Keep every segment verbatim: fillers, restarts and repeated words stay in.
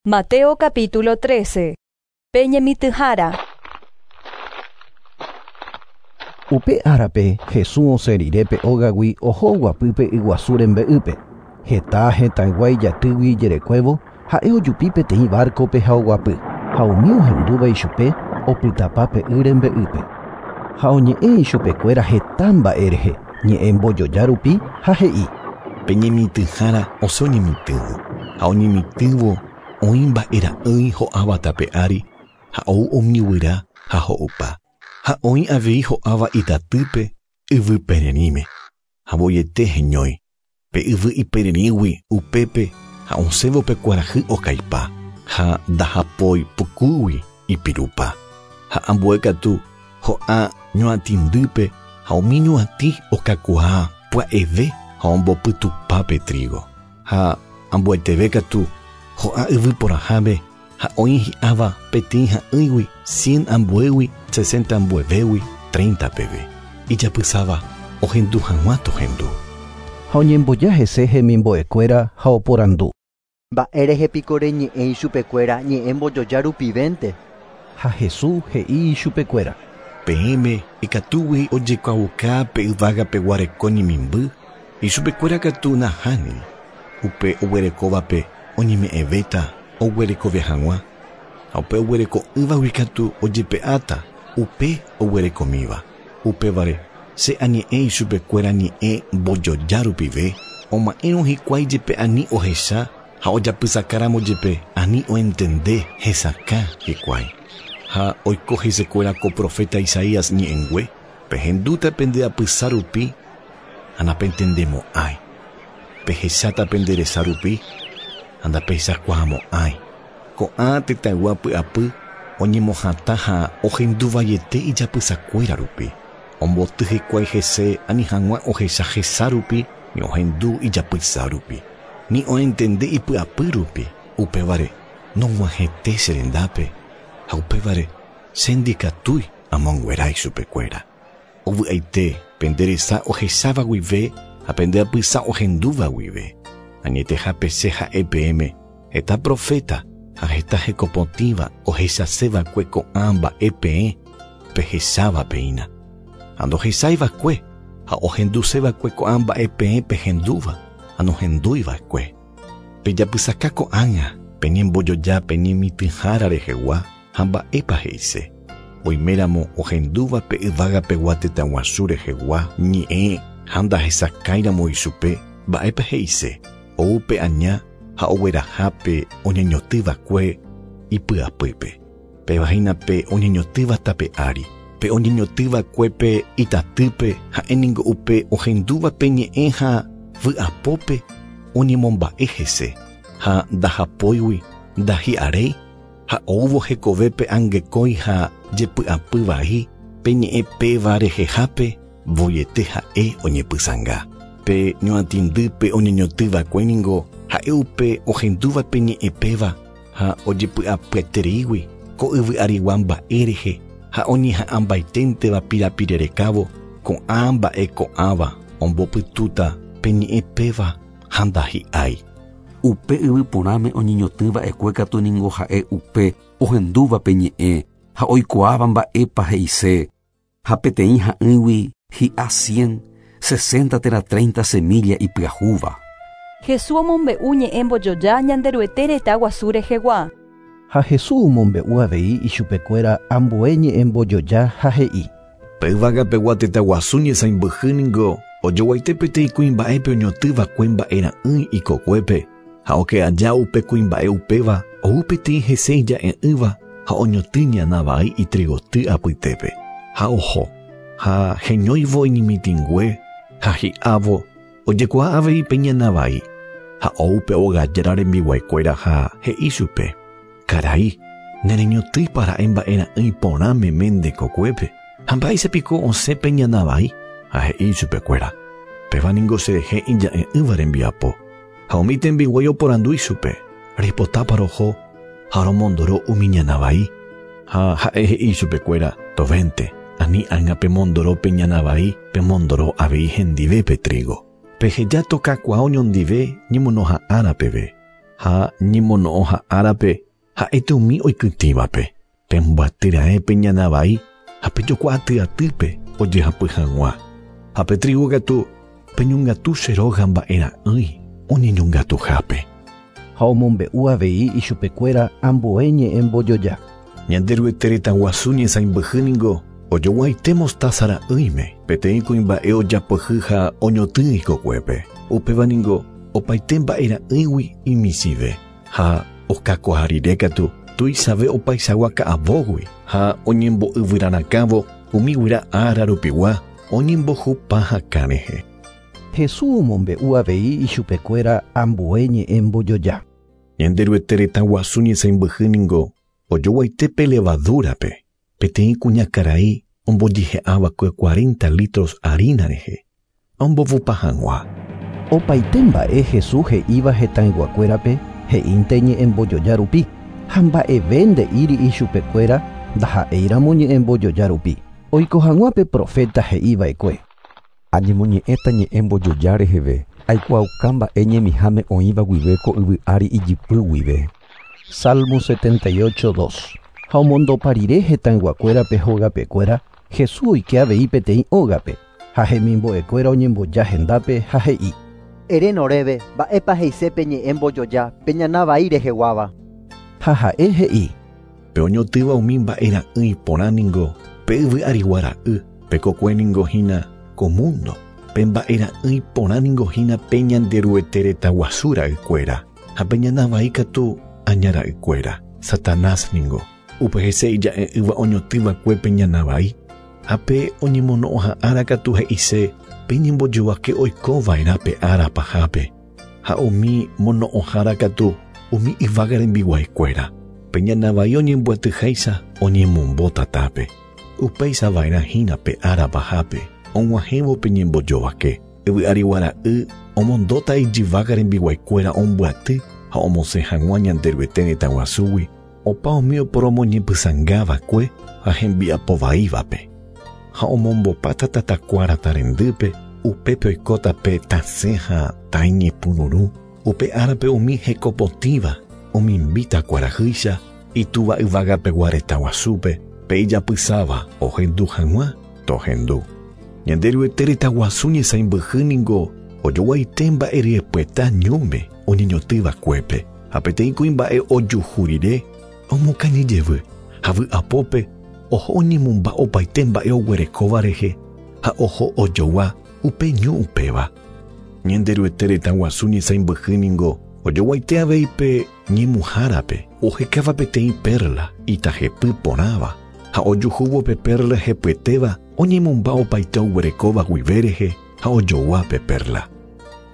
Mateo capítulo trece. Peñemityhára. Upe árape Jesús osẽ rire pe ógagui oho oguapy pe yguasu rembe'ýpe. Heta hetãygua ijatýgui ijerekuévo ha'e ojupi peteĩ barco-pe ha oguapy, ha umi ohendúva ichupe opytapa pe y rembe'ýpe. Ha oñe'ẽ ichupekuéra heta mba'e rehe, ñe'ẽ mbojoja rupi ha he'i: Peñemityhára osẽ oñemitỹvo, ha oñemitỹvo oĩ mba'era'ỹi ho'áva tape ári ha ou omiguyra ha ho'upa. Ha oĩ avei ho'áva itatýpe yvy pererĩme ha voiete heñói. Pe yvy ipererĩgui upépe ha osẽvo pe kuarahy okaipa ha ndahapói pukúgui ipirupa. Ha ambue katu ho'a ñuatĩndýpe ha umi ñuatĩ okakuaa pya'eve ha ombopytupa pe trigo. Ha ambueteve katu ho'a yvy porãháme ha oĩ hi'áva peteĩ ha'ỹigui cien ambuégui sesenta ambuevégui treinta peve. Ijapysáva ohendu hag̃ua tohendu. Ha oñemboja hese hemimbo'ekuéra ha oporandu. Mba'érehe piko reñe'ẽ ichupekuéra ñe'ẽ mbojoja rupivénte. Ha Jesús he'i ichupekuéra: Peẽme ikatúgui ojekuaauka pe yvágapegua reko ñemimby, ichupekuéra katu nahániri. Upe oguerekóvape oñeme'ẽvéta oguerekove hag̃ua, ha upe oguereko'ỹvagui katu ojepe'áta upe oguerekomíva. Upévare che añe'ẽ ichupekuéra ñe'ẽ mbojoja rupive, oma'ẽrõ hikuái jepe ani ohecha ha ojapysakáramo jepe ani oentende hesakã hikuái. Ha oiko hesekuéra ko profeta Isaías ñe'ẽngue, pehendúta pende apysa rupi ha napentendemo'ãi. Pehecháta pende resa rupi ha ndapehechakuaamo'ãi. Ko'ã tetãygua py'apy oñemohatã ha ohenduvaiete ijapysakuéra rupi. Omboty hikuái hese ani hag̃ua ohecha hesa rupi ni ohendu ijapysa rupi, ni oentende ipy'apy rupi. Upévare nog̃uahẽte che rendápe ha upévare che ndikatúi amonguerái chupekuéra. Ovy'aite pende resa ohecháva guive ha pende apysa ohendúva guive. Añetehápe che ha'e peẽme heta profeta ha heta hekopotĩva ohechaséva'ekue ko'ã mba'e peẽ pehechávapeína. Ha ndohechaiva'ekue ha ohenduseva'ekue ko'ã mba'e peẽ pehendúva ha nohendúiva'ekue. Pejapysaka ko'ág̃a peñembojoja peñemitỹhára rehegua ha mba'épa he'ise. Oiméramo ohendúva pe yvágapegua tetãguasu rehegua ñe'ẽ ha ndahesakãiramo ichupe mba'épa he'ise. Ou pe aña ha oguerahápe oñeñotỹva'ekue ipy'apýpe. Péva hína pe oñeñotỹva tape ári. Pe oñeñotỹva'ekue pe itatýpe ha'éningo upe ohendúva pe ñe'ẽ ha vy'apópe oñemomba'e hese. Ha ndahapóigui ndahi'aréi ha oúvo hekovépe angekói ha jepy'apyvai pe ñe'ẽ péva rehehápe voiete ha'e oñepysãnga. Pe ñuatĩndýpe oñeñotỹva'ekue ningo ha'e upe ohendúva pe ñe'ẽ péva ha ojepy'apyetereígui ko yvy arigua mba'e rehe ha oñeha'ãmbaiténteva pirapirerekávo ko'ã mba'e ko'ãva ombopytúta pe ñe'ẽ péva ha ndahi'ái. Upe yvy porãme oñeñotỹva'ekue katu ningo ha'e upe ohendúva pe ñe'ẽ ha oikuaáva mba'épa he'ise. Ha peteĩ ha'ỹigui hi'a cien, sesenta térã treinta semilla ipyahúva. Jesús omombe'u ñe'ẽ mbojoja Ñanderuete retã guasu rehegua. Ha Jesús omombe'u avei ichupekuéra ambue ñe'ẽ mbojoja ha he'i: Pe yvágapegua tetãguasu ñesãimbyhy ningo ojoguaite peteĩ kuimba'épe oñotỹva'ekue mba'era'ỹi ikokuépe ha oke aja upe kuimba'e upéva ou peteĩ hese ija'e'ỹva ha oñotỹ ñana vai itrigoty apytépe. Ha oho ha heñóivo iñemitỹngue ha hi'ávo ojekuaa avei pe ñana vai. Ha ou pe ogajára rembiguaikuéra ha he'i chupe: Karai, nereñotỹipa ra'e mba'era'ỹi porã meme nde kokuépe ha mba'éichapiko osẽ pe ñana vai. Ha he'i chupekuéra: Péva ningo cherehe ija'e'ỹva rembiapo. Ha umi tembiguái oporandu ichupe: Reipotápa roho ha romondoro umi ñana vai. Ha ha'e he'i chupekuéra: Tovénte, ani ág̃a pemondoro pe ñana vai, pemondoro avei hendive pe trigo. Peheja tokakuaa oñondive ñemonoha'ãra peve. Ha ñemono'õha árape ha'ete umi oikytĩvape. Pembyatýra'e ñana vai ha pejokua atyatýpe ojehapy hag̃ua. Ha pe trigo katu peñongatu che róga mba'era'ỹi oñeñongatuhápe. Ha omombe'u avei ichupekuéra ambue ñe'ẽ mbojoja. Ñanderuete retã guasu ñesãimbyhy ningo ojoguaite mostaza ra'ỹime peteĩ kuimba'e ojapyhy ha oñotỹ ikokuépe. Upéva ningo opaite mba'era'ỹigui imisive ha okakuaa rire katu tuichave opaichagua ka'avógui ha oñembo'yvyrarakãvo umi guyra ára rupigua oñembohupa hakã rehe. Jesús omombe'u avei ichupekuéra ambue ñe'ẽ mbojoja. Ñanderuete retã guasu ñesãimbyhy ningo ojoguaite pe levadúrape peteĩ kuñakarai ombojehe'ava'ekue cuarenta litros harina rehe ombovupa hag̃ua. Opaite mba'e Jesús he'íva hetãyguakuérape he'ínte ñe'ẽ mbojoja rupi ha mba'eve nde'íri ichupekuéra ndaha'éiramo ñe'ẽ mbojoja rupi. Oiko hag̃ua pe profeta he'iva'ekue. Añemoñe'ẽta ñe'ẽ mbojoja reheve aikuaauka mba'e ñemiháme oĩva guive ko yvy ári ijypy guive. Salmo setenta y ocho, dos. Ha omondopa rire hetãyguakuérape hógapekuéra, Jesús oike avei peteĩ ógape ha hemimbo'ekuéra oñemboja hendápe ha he'i. Ere noréve mba'épa he'isépe ñe'ẽ mbojoja pe ñana vai reheguáva. Ha ha'e he'i. Pe oñotỹva umi mba'era'ỹi porã ningo pe yvy arigua ra'y, pe kokue ningo hína ko mundo, pe mba'era'ỹi porã ningo hína pe Ñanderuete retã guasu ra'ykuéra ha pe ñana vai katu aña ra'ykuéra. Satanás ningo upe hese ija'e'ỹva oñotỹva'ekue pe ñana vai ha pe oñemono'õha ára katu he'ise pe ñembojovake oikova'erã pe ára pahápe ha umi mono'õhára katu umi yvága rembiguaikuéra. Pe ñana vai oñembyatýháicha oñemombo tatápe. Upéichava'erã hína pe ára pahápe og̃uahẽvo pe ñembojovake. Yvy arigua ra'y omondóta ijyvága rembiguaikuéra ombyaty ha omosẽ hag̃ua Ñanderuete retã guasúgui opa umi oporomoñepysãngava'ekue ha hembiapovaívape. Ha omombopáta tatakuára tarendýpe upépe oikóta pe tasẽ ha taiñepyrũrũ. Upe árape umi hekopotĩva omimbíta kuarahýicha itúva yvágapegua retã guasúpe pe ijapysáva ohendu hag̃ua tohendu. Ñanderuete retã guasu ñesãimbyhy ningo ojoguaite mba'eryepyeta ñúme oñeñotỹva'ekuépe ha peteĩ kuimba'e ojuhu rire omokañyjevy ha vy'apópe oho oñemomba opaite mba'e oguerekóva rehe ha oho ojogua upe ñu upéva. Ñanderuete retã guasu ñesãimbyhy ningo ojoguaite avei pe ñemuhárape ohekáva peteĩ perla itajepy porãva ha ojuhúvo pe perla hepyetéva oñemomba opaite oguerekóva guive rehe ha ojogua pe perla.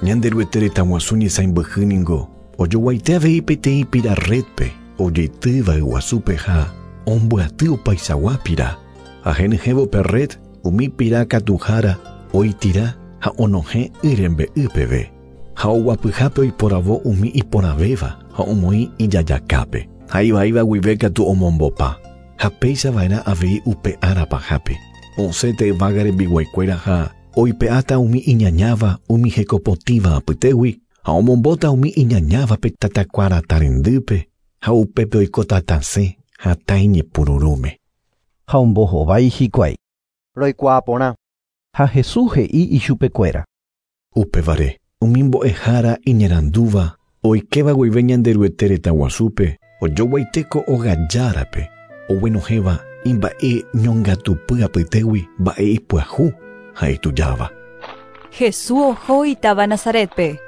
Ñanderuete retã guasu ñesãimbyhy ningo ojoguaite avei peteĩ pira redpe ojeitýva yguasúpe ha ombyaty opaichagua pira. Ha henyhẽvo pe red umi pira katuhára oitira ha onohẽ y rembe'y peve. Ha oguapyhápe oiporavo umi iporãvéva ha omoĩ ijajakápe. Ha ivaíva guive katu omombopa. Ha péichava'erã avei upe ára pahápe. Osẽte yvága rembiguaikuéra ha oipe'áta umi iñañáva umi hekopotĩva apytégui ha omombóta umi iñañávape tatakuára tarendýpe ha upépe oikóta tasẽ ha taiñepyrũrũme. Ha ombohovái hikuái. Roikuaa porã. Ha Jesús he'i ichupekuéra. Upévare umi mbo'ehára iñarandúva oikéva guive Ñanderuete retã guasúpe ojoguaite ko ogajárape oguenohẽva imba'e ñongatupy apytégui mba'e ipyahu ha itujáva. Jesús oho itáva Nazaretpe.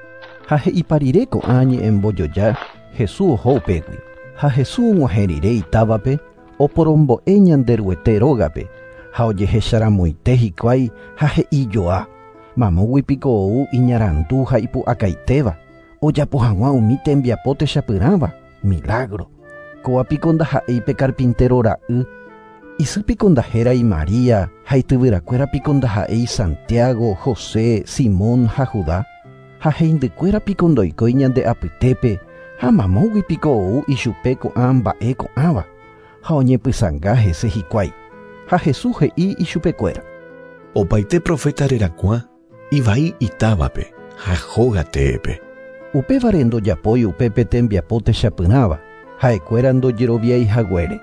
Ha he'ipa rire ko'ã ñe'ẽ mbojoja Jesús oho upégui. Ha Jesús og̃uahẽ rire itávape oporombo'e Ñanderuete rógape ha ojehecharamoite hikuái ha he'ijoa. Mamógui piko ou iñarandu ha ipu'akaitéva ojapo hag̃ua umi tembiapo techapyrãva milagro. Kóa piko ndaha'éi pe carpintero ra'y. Isy piko ndahérai María ha ityvyrakuéra piko ndaha'éi Santiago, José, Simón ha Judá. Ha heindykuéra piko ndoikói ñande apytépe ha mamógui piko ou ichupe ko'ã mba'e ko'ãva ha oñepysãnga hese hikuái. Ha Jesús he'i ichupekuéra. Opaite profeta rerakuã ivai itávape ha hóga teépe. Upévare ndojapói upépe tembiapo techapyrãva, ha'ekuéra ndojeroviái haguére.